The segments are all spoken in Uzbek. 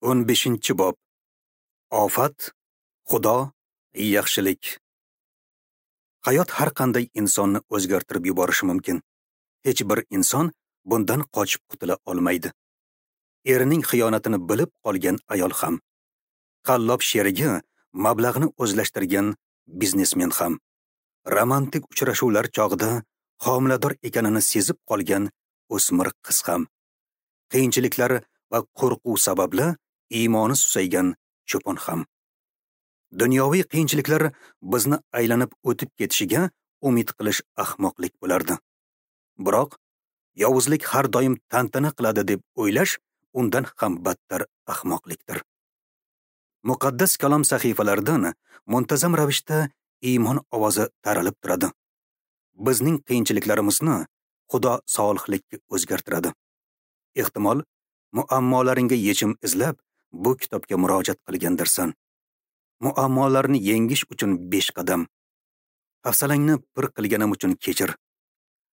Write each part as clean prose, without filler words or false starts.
15-bob. Ofat, Xudo, yaxshilik. Hayot har qanday insonni o'zgartirib yuborishi mumkin. Hech bir inson bundan qochib qutula olmaydi. Erining xiyonatini bilib qolgan ayol ham, qallob sherigi mablag'ni o'zlashtirgan biznesmen ham, romantik uchrashuvlar chog'ida homilador ekanini sezib qolgan o'smir qiz ham, qiyinchiliklar va qo'rquv sababli iymoni susaygan cho'pon ham. Dunyoviy qiyinchiliklar bizni aylanib o'tib ketishiga umid qilish ahmoqlik bo'lardi. Biroq yovuzlik har doim tantana qiladi deb o'ylash undan ham battar ahmoqlikdir. Muqaddas kalom sahifalaridan muntazam ravishda iymon ovozi taralib turadi. Bizning qiyinchiliklarimizni Xudo solihlikka o'zgartiradi. Ehtimol, muammolaringga yechim izlab bu kitobga murojaat qilgandirsan. Muammolarni yengish uchun 5 qadam. Hafsalangni pir qilganim uchun kechir.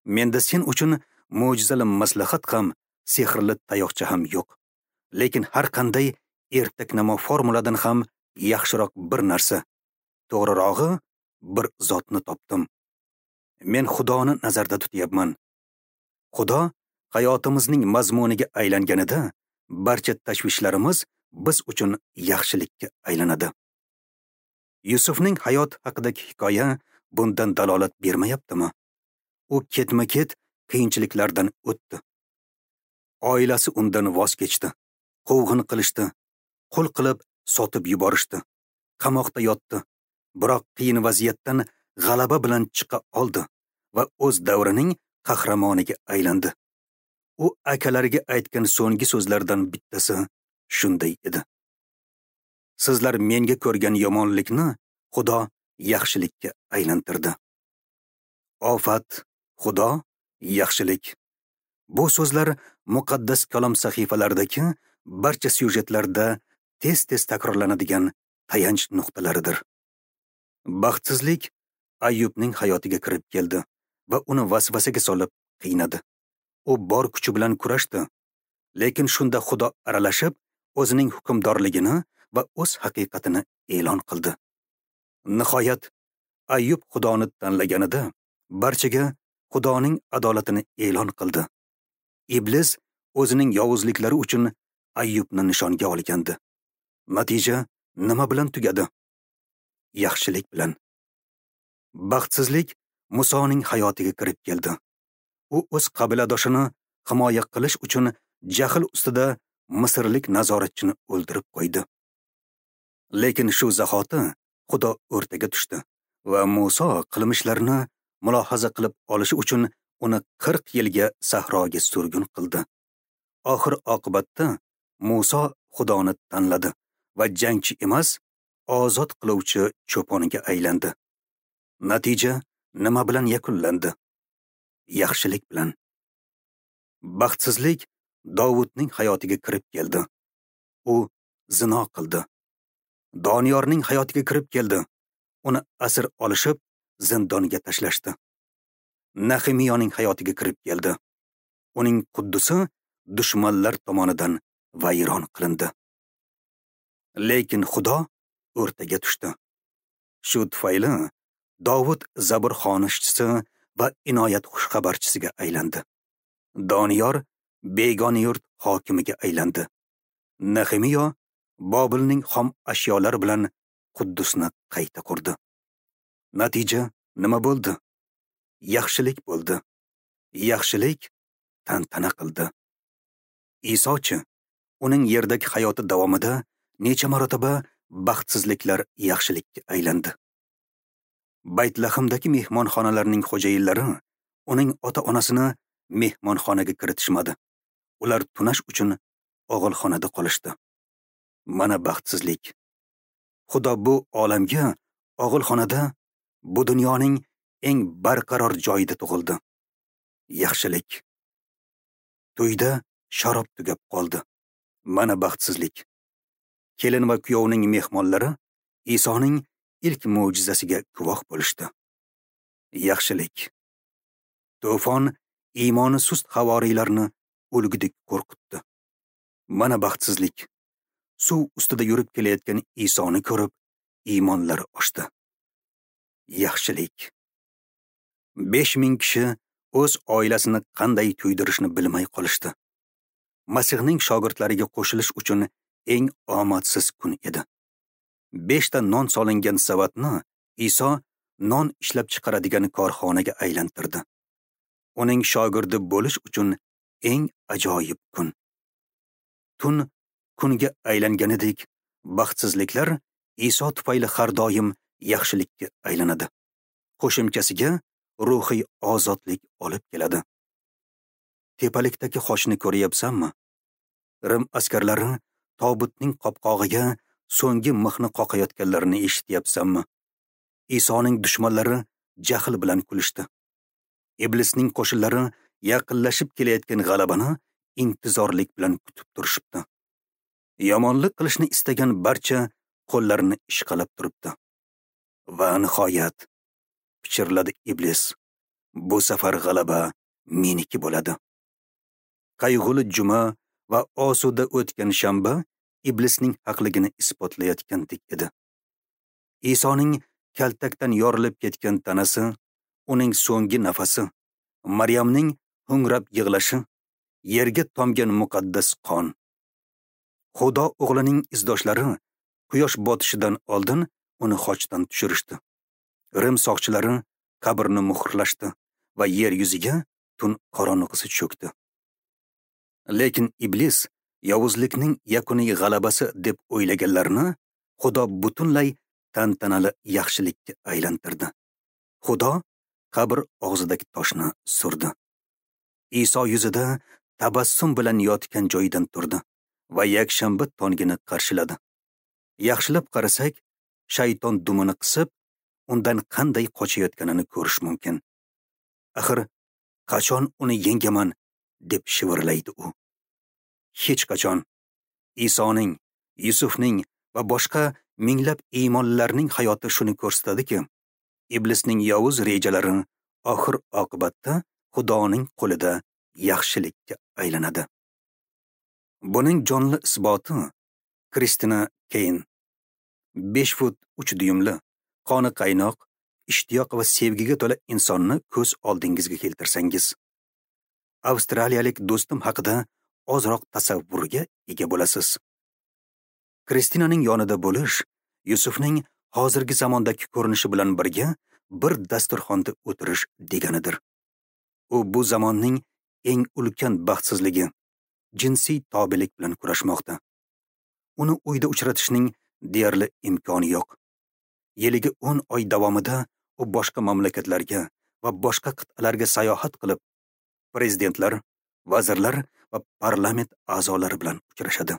Menda sen uchun mo'jizali maslahat ham, sehrli tayoqcha ham yo'q. Lekin har qanday ertaknamo formuladan ham yaxshiroq bir narsa, to'g'rirog'i bir zotni topdim. Men Xudoni nazarda tutyapman. Xudo hayotimizning mazmuniga aylanganida barcha tashvishlarimiz biz uchun yaxshilikka aylanadi. Yusufning hayot haqidagi hikoya bundan dalolat bermayaptimi? U ketma-ket qiyinchiliklardan o'tdi. Oilasi undan voz kechdi, quvg'in qilishdi, qul qilib sotib yuborishdi, qamoqda yotdi. Biroq qiyin vaziyatdan g'alaba bilan chiqa oldi va o'z davrining qahramoniga aylandi. U akalariga aytgan so'nggi so'zlardan bittasi shunday edi: Sizlar menga ko'rgan yomonlikni Xudo yaxshilikka aylantirdi. Ofat, Xudo, yaxshilik. Bu so'zlar muqaddas kalom sahifalaridagi barcha syujetlarda tez-tez takrorlanadigan tayanch nuqtalaridir. Baxtsizlik Ayyubning hayotiga kirib keldi va uni vasvasaga solib qiynadi. U bor kuchi bilan kurashdi, lekin shunda Xudo aralashib, o'zining hukmdorligini va o'z haqiqatini e'lon qildi. Nihoyat Ayyub Xudoni tanlaganida barchaga Xudoning adolatini e'lon qildi. Iblis o'zining yovuzliklari uchun Ayyubni nishonga olgandi. Natija nima bilan tugadi? Yaxshilik bilan. Baxtsizlik Musoning hayotiga kirib keldi. U o'z qabiladoshini himoya qilish uchun jahl ustida misrlik nazoratchini o'ldirib qo'ydi. Lekin shu zahoti Xudo o'rtaga tushdi va Muso qilmishlarini mulohaza qilib olishi uchun uni 40 yilga sahroga surgun qildi. Oxir oqibatda Muso Xudoni tanladi va jangchi emas, ozod qiluvchi cho'poniga aylandi. Natija nima bilan yakunlandi? Yaxshilik bilan. Baxtsizlik Dovudning hayotiga kirib keldi. U zino qildi. Doniyorning hayotiga kirib keldi. Uni asir olishib, zindonga tashlashdi. Nahemiyaning hayotiga kirib keldi. Uning Quddusi dushmanlar tomonidan vayron qilindi. Lekin Xudo o'rtaga tushdi. Shu tufayli Dovud Zabur xonishchisi va inoyat xushxabarchisiga aylandi. Doniyor begona yurt hokimiga aylandi. Nehemiya Bobilning xom ashyolari bilan Quddusni qayta qurdi. Natija nima bo'ldi? Yaxshilik bo'ldi. Yaxshilik tantana qildi. Isochi uning yerdagi hayoti davomida necha marotaba baxtsizliklar yaxshilikka aylandi. Baytlahimdagi mehmonxonalarning xo'jayinlari uning ota-onasini mehmonxonaga kiritishmadi. Ular tunash uchun og'ilxonada qolishdi. Mana baxtsizlik. Xudo bu olamga og'ilxonada, bu dunyoning eng barqaror joyida tug'ildi. Yaxshilik. To'yda sharob tugab qoldi. Mana baxtsizlik. Kelin va kuyovning mehmonlari Isoning ilk mo'jizasiga guvoh bo'lishdi. Yaxshilik. To'fon iymoni sust havoriylarni o'lgudek qo'rqitdi. Mana baxtsizlik. suv ustida yurib kelayotgan Isoni ko'rib, iymonlari oshdi. Yaxshilik. 5000 kishi o'z oilasini qanday to'ydirishni bilmay qolishdi. Masihning shogirdlariga qo'shilish uchun eng omadsiz kun edi. 5 ta non solingan savatni Iso non ishlab chiqaradigan korxonaga aylantirdi. Uning shogirdi bo'lish uchun eng ajoyib kun. Tun kunga aylanganidek, baxtsizliklar Iso tufayli har doim yaxshilikka aylanadi. Qo'shimchasiga ruhiy ozodlik olib keladi. Tepalikdagi xochni ko'ryapsanmi? Rim askarlari tobutning qopqog'iga so'nggi mixni qoqayotganlarini eshityapsanmi? Isoning dushmanlari jahl bilan kulishdi. Iblisning qo'shinlari yaqinlashib kelayotgan g'alabani intizorlik bilan kutib turishibdi. Yomonlik qilishni istagan barcha qo'llarini ishqalab turibdi. Va nihoyat, pichirladi iblis, bu safar g'alaba meniki bo'ladi. Qayg'uli juma va osuda o'tgan shanba iblisning haqligini isbotlayotgandek edi. Isoning kaltakdan yorilib ketgan tanasi, uning so'nggi nafasi, Maryamning ho'ngrab yig'lashi, yerga tomgan muqaddas qon. Xudo o'g'lining izdoshlari quyosh botishidan oldin uni xochdan tushirishdi. Rim soqchilari qabrni muhrlashdi va yer yuziga tun qorong'isi cho'kdi. Lekin iblis yovuzlikning yakuniy g'alabasi deb o'ylaganlarni Xudo butunlay tantanali yaxshilikka aylantirdi. Xudo qabr og'zidagi toshni surdi. Iso yuzida tabassum bilan yotgan joyidan turdi va yakshanba tongini qarshiladi. Yaxshilab qarasak, shayton dumini qisib, undan qanday qochayotganini ko'rish mumkin. Axir, qachon uni yengaman, deb shivirlaydi u. Hech qachon. Isoning, Yusufning va boshqa minglab iymonlilarning hayoti shuni ko'rsatadiki, iblisning yovuz rejalari oxir oqibatda Xudoning qo'lida yaxshilikka aylanadi. Buning jonli isboti Kristina Keyn. 5 fut 3 dyumli, qoni qaynoq, ishtiyoq va sevgiga to'la insonni ko'z oldingizga keltirsangiz, avstraliyalik do'stim haqida ozroq tasavvurga ega bo'lasiz. Kristinaning yonida bo'lish Yusufning hozirgi zamondagi ko'rinishi bilan birga bir dasturxonda o'tirish deganidir. U bu zamonning eng ulkan baxtsizligi, jinsiy tobelik bilan kurashmoqda. Uni uyda uchratishning deyarli imkoni yo'q. Yiliga 10 oy davomida u boshqa mamlakatlarga va boshqa qit'alarga sayohat qilib, prezidentlar, vazirlar va parlament a'zolari bilan uchrashadi.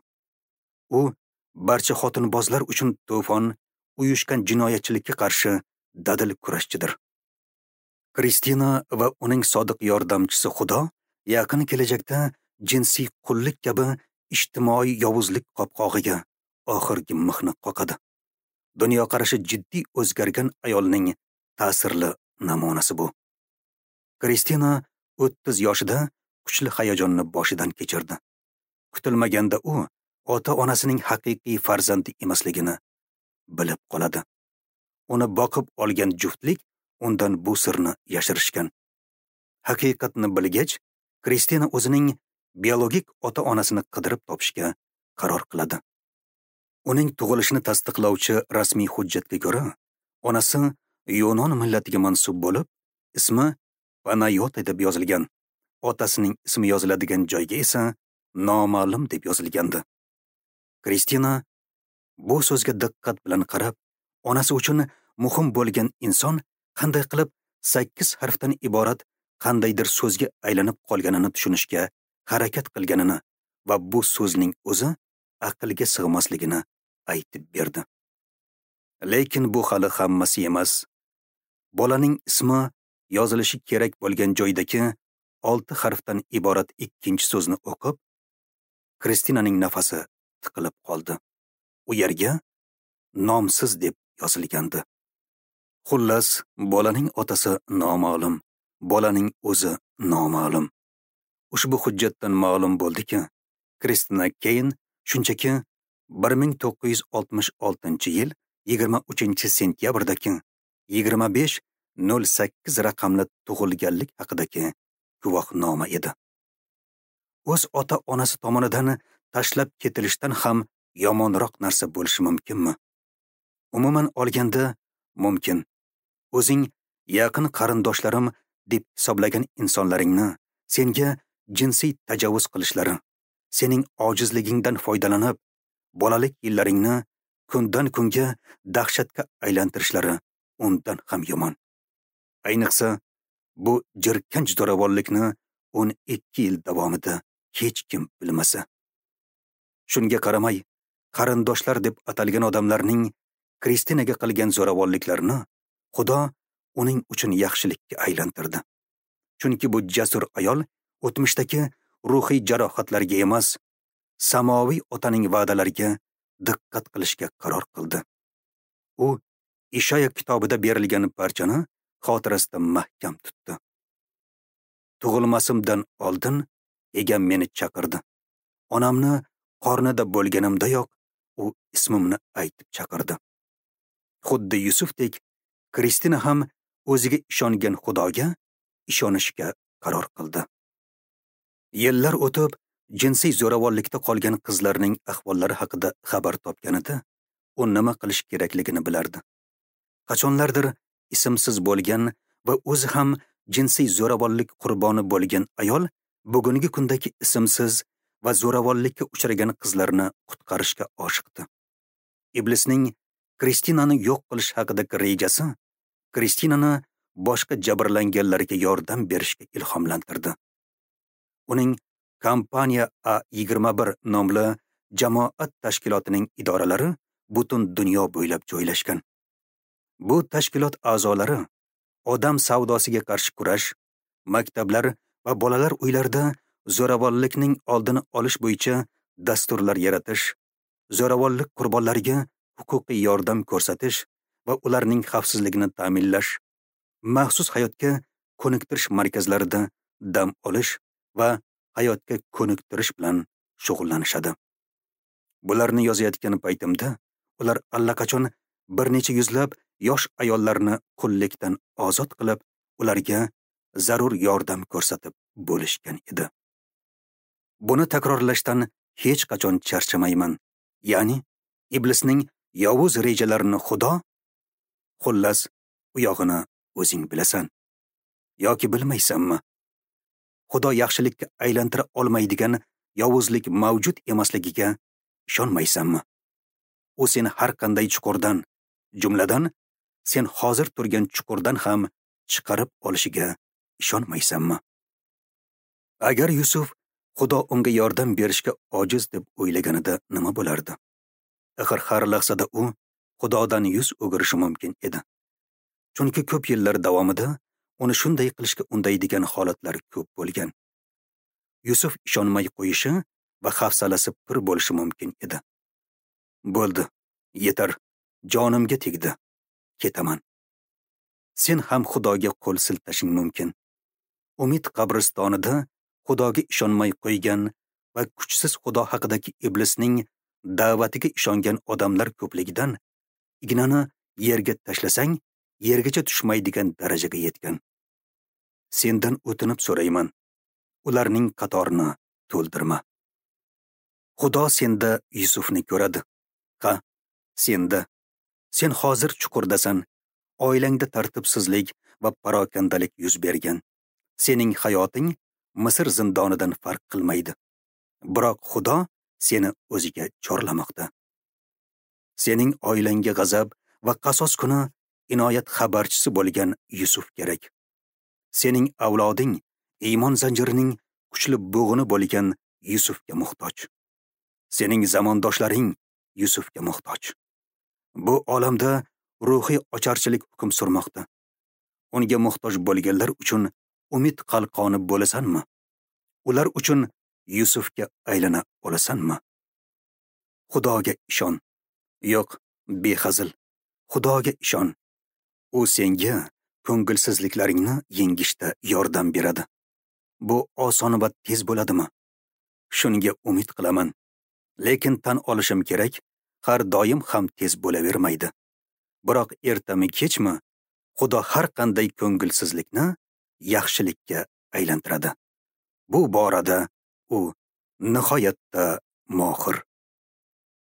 U barcha xotinbozlar uchun to'fon, uyushgan jinoyatchilikka qarshi dadil kurashchidir. Kristina va uning sodiq yordamchisi Xudo yaqin kelajakda jinsiy qullik kabi ijtimoiy yovuzlik qopqog'iga oxirgi mixni qoqadi. Dunyoqarashi jiddiy o'zgargan ayolning ta'sirli namunasi bu. Kristina 30 yoshida kuchli hayajonni boshidan kechirdi. Kutilmaganda u ota-onasining haqiqiy farzandi emasligini bilib qoladi. Uni boqib olgan juftlik undan bu sirni yashirishgan. Haqiqatni bilgach, Kristina o'zining biologik ota-onasini qidirib topishga qaror qiladi. Uning tug'ilishini tasdiqlovchi rasmiy hujjatga ko'ra, onasi Yunon millatiga mansub bo'lib, ismi Panayota deb yozilgan. Otasining ismi yoziladigan joyga esa noma'lum deb yozilgandi. Kristina bu so'zga diqqat bilan qarab, onasi uchun muhim bo'lgan inson qanday qilib 8 harfdan iborat qandaydir so'zga aylanib qolganini tushunishga harakat qilganini va bu so'zning o'zi aqlga sig'masligini aytib berdi. Lekin bu hali hammasi emas. Bolaning ismi yozilishi kerak bo'lgan joydagi 6 harfdan iborat ikkinchi so'zni o'qib, Kristinaning nafasi tiqilib qoldi. U yerga nomsiz deb yozilgandi. Xullas, bolaning otasi noma'lum, bolaning o'zi noma'lum. Ushbu hujjatdan ma'lum bo'ldiki, Kristina Keyn shunchaki 1966-yil 23-sentyabrdagi 25.08 raqamli tug'ilganlik haqidagi guvohnoma edi. O'z ota-onasi tomonidan tashlab ketilishdan ham yomonroq narsa bo'lishi mumkinmi? Umuman olganda mumkin. O'zing yaqin qarindoshlarim deb hisoblagan insonlaringni senga jinsiy tajovuz qilishlari, sening ojizligingdan foydalanib, bolalik yillaringni kundan kunga dahshatga aylantirishlari undan ham yomon. Ayniqsa, bu jirkanch zo'ravonlikni 12 yil davomida hech kim bilmasa. Shunga qaramay, qarindoshlar deb atalgan odamlarning Kristinaga qilgan zo'ravonliklarini Xudo uning uchun yaxshilikka aylantirdi. Chunki bu jasur ayol o'tmishdagi ruhiy jarohatlarga emas, samoviy otaning va'dalariga diqqat qilishga qaror qildi. U Ishoya kitobida berilgan parchani xotirasida mahkam tutdi. Tug'ilmasimdan oldin egam meni chaqirdi. Onamni qornida bo'lganimdayoq u ismimni aytib chaqirdi. Xuddi Yusufdek Kristina ham o'ziga ishongan Xudoga ishonishga qaror qildi. Yillar o'tib, jinsiy zo'ravonlikda qolgan qizlarning ahvollari haqida xabar topganida, u nima qilish kerakligini bilardi. Qachonlardir ismsiz bo'lgan va o'zi ham jinsiy zo'ravonlik qurboni bo'lgan ayol bugungi kundagi ismsiz va zo'ravonlikka uchragan qizlarni qutqarishga oshiqdi. Iblisning Kristinani yo'q qilish haqidagi rejasi Kristinani boshqa jabrlanganlarga yordam berishga ilhomlantirdi. Uning Kompaniya A21 nomli jamoat tashkilotining idoralari butun dunyo bo'ylab joylashgan. Bu tashkilot a'zolari odam savdosiga qarshi kurash, maktablar va bolalar uylarida zo'ravonlikning oldini olish bo'yicha dasturlar yaratish, zo'ravonlik qurbonlariga huquqiy yordam ko'rsatish va ularning xavfsizligini ta'minlash, maxsus hayotga ko'niktirish markazlarida dam olish va hayotga ko'niktirish bilan shug'ullanishadi. Bularni yozayotgan paytimda ular allaqachon bir necha yuzlab yosh ayollarni qullikdan ozod qilib, ularga zarur yordam ko'rsatib bo'lishgan edi. Buni takrorlashdan hech qachon charchamayman. Ya'ni iblisning yovuz rejalarini Xudo, xullas, u yog'ini o'zing bilasan yoki bilmaysanmi? Xudo yaxshilikka aylantira olmaydigan yovuzlik mavjud emasligiga ishonmaysanmi? U seni har qanday chuqurdan, jumladan sen hozir turgan chuqurdan ham chiqarib olishiga ishonmaysanmi? Agar Yusuf Xudo unga yordam berishga ojiz deb o'ylaganida nima bo'lardi? Axir har lahzada u Xudodan yuz o'girishi mumkin edi. Chunki ko'p yillar davomida uni shunday qilishga undaydigan holatlar ko'p bo'lgan. Yusuf ishonmay qo'yishi va hafsalasi pir bo'lishi mumkin edi. Bo'ldi, yetar, jonimga tegdi, ketaman. Sen ham Xudoga qo'l siltashing mumkin. Umid qabristonida Xudoga ishonmay qo'ygan va kuchsiz Xudo haqidagi iblisning da'vatiga ishongan odamlar ko'pligidan ignani yerga tashlasang, yergacha tushmaydigan darajaga yetgan. Sendan o'tinib so'rayman, ularning qatorini to'ldirma. Xudo senda Yusufni ko'radi. Ha, senda. Sen hozir chuqurdasan. Oilangda tartibsizlik va parokandalik yuz bergan. Sening hayoting Misr zindonidan farq qilmaydi. Biroq Xudo seni o'ziga chorlamoqda. Sening oilangga g'azab va qasos kuni inoyat xabarchisi bo'lgan Yusuf kerak. Sening avloding iymon zanjirining kuchli bo'g'ini bo'lgan Yusufga muhtoj. Sening zamondoshlaring Yusufga muhtoj. Bu olamda ruhiy ocharchilik hukm surmoqda. Unga muhtoj bo'lganlar uchun umid qalqoni bo'lasanmi? Ular uchun Yusufga aylana olasanmi? Xudoga ishon. Yo'q, behazil. Xudoga ishon. U senga ko'ngilsizliklaringni yengishda yordam beradi. Bu oson va tez bo'ladimi? Shunga umid qilaman. Lekin tan olishim kerak, har doim ham tez bo'lavermaydi. Biroq ertami kechmi Xudo har qanday ko'ngilsizlikni yaxshilikka aylantiradi. Bu borada u nihoyatda mohir.